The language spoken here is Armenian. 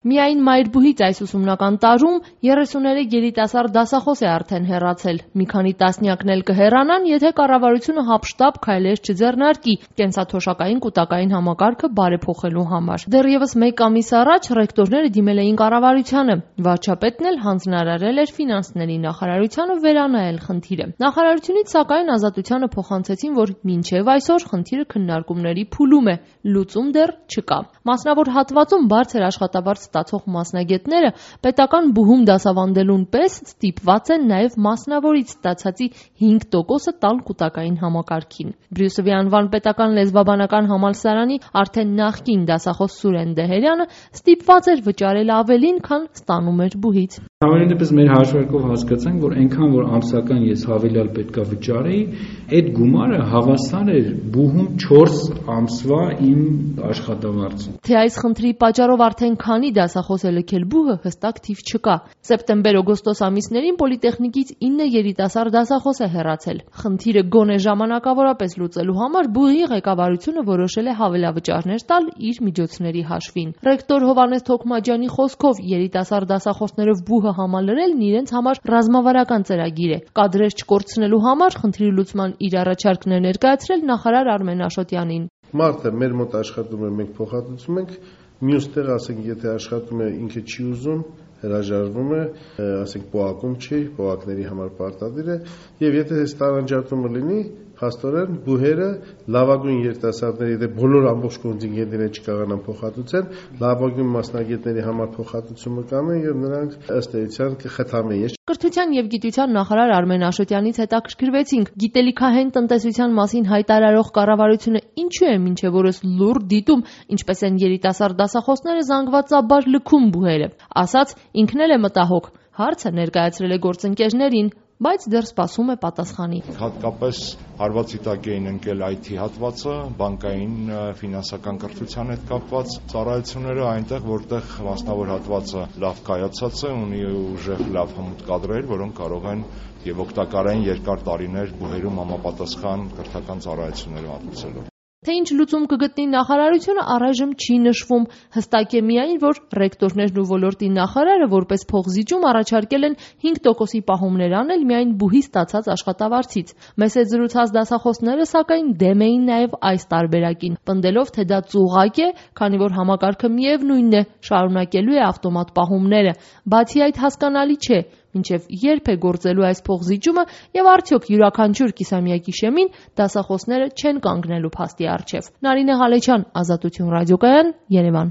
Միայն Մայրբուհից այս ուսումնական տարում 33 երիտասարդ դասախոս է արդեն հեռացել։ Մի քանի տասնյակն էլ կհեռանան, եթե կառավարությունը հապշտապ քայլեր չձեռնարկի կենսաթոշակային կուտակային համակարգը բարեփոխելու համար։ Դեռևս մեկ ամիս առաջ ռեկտորները դիմել էին կառավարությանը։ Վարչապետն էլ հանձնարարել էր ֆինանսների նախարարությանը վերանայել խնդիրը։ Նախարարությունից սակայն Ազատությանը փոխանցեցին, որ մինչև այսօր խնդիրը քննարկումների փուլում է, լուծում դեռ չկա։ Մասնավոր հատվածում բարձր աշխատավարձ ստացող մասնագետները պետական բուհում դասավանդելուն պես ստիպված են նաև մասնավորից ստացածի 5%-ը տալ կուտակային համակարգին։ Բրյուսովի անվան պետական լեզվաբանական համալսարանի արդեն նախկին դասախոս Սուրեն Դեհերյանը ստիպված էր վճարել ավելին, քան ստանում էր բուհից։ Համենայն դեպս մեր հաշվարկով հասկացանք, որ այնքան որ ամսական ես հավելյալ պետքա վճարեի, այդ գումարը հավասար էր բուհում 4 ամսվա իմ աշխատավարձին։ Թե այս խնդրի պատճառով արդեն քանի դասախոս է լքել բուհը, հստակ թիվ չկա։ Սեպտեմբեր-օգոստոս ամիսներին պոլիտեխնիկից 9 երիտասարդ դասախոս է հեռացել։ Խնդիրը գոնե ժամանակավորապես լուծելու համար բուհի ղեկավարությունը որոշել է հավելավճարներ տալ իր միջոցների հաշվին։ Ռեկտոր Հովհաննես Թոքմաջյանի խոսքով երիտասարդ դասախոսներով բուհը համալրելն իրենց համար ռազմավարական ծրագիր է։ Կադրեր չկորցնելու համար խնդրի լուծման իր առաջարկն է ներկայացրել նախարար Արմեն Աշոտյանին։ Մարդը մեր մոտ աշխատում է, մենք փոխհատուցում ենք, մյուս տեղ, ասենք, եթե աշխատում է ինքը չի ուզում, հրաժարվում է, ասենք, պոակում չի, պոակների համար պարտադիր է, եւ եթե այս տարանջատումը լինի, փաստորեն բուհերը լավագույն երիտասարդների, եթե բոլոր ամբողջ կոնտինգենտները չկարողանան փոխհատուցել, լավագույն մասնագետների համար փոխհատուցումը կանեն եւ նրանք ըստ էության կխթանեն։ Կրթության եւ գիտության նախարար Արմեն Աշոտյանից հետաքրքրվեցինք, գիտելիքահեն տնտեսության մասին հայտարարող կառավարությունը ինչու է մինչեւ օրս լուռ դիտում, ինչպես են երիտասարդ դասախոսները զանգվածաբար լքում բուհերը։ Ասաց, ինքն էլ է մտահոգ, հարցը ներկայացրել է գործընկերներին, բայց դեռ սպասում է պատասխանի։ Հատկապես հարվածի տակ էին ընկել IT հատվածը, բանկային ֆինանսական կրթության հետ կապված ծառայությունները այնտեղ, որտեղ մասնավոր հատվածը լավ կայացած է, ունի ուժեղ լավ հմուտ կադրեր, որոնք կարող են եւ օգտակար են երկար տարիներ բուհերում համապատասխան կրթական ծառայություններ մատուցելու։ Թե ինչ լուծում կգտնի նախարարությունը առայժմ չի նշվում, հստակ է միայն, որ ռեկտորներն ու ոլորտի նախարարը որպես փոխզիջում առաջարկել են 5%-ի պահումներ անել միայն բուհի ստացած աշխատավարձից։ Մեզ հետ զրուցած դասախոսները սակայն դեմ էին նաև այս տարբերակին, պնդելով, թե դա ծուղակ է, քանի որ համակարգը միևնույնն է, շարունակելու է ավտոմատ պահումները։ Բացի այդ հասկանալի չէ, մինչև երբ է գործելու այս փոխզիջումը եւ արդյոք յուրաքանչյուր կիսամյակի շեմին դասախոսները չեն կանգնելու փաստի առջև։ Նարինե Հալեչյան, Ազատություն ռադիոկայան, Երևան։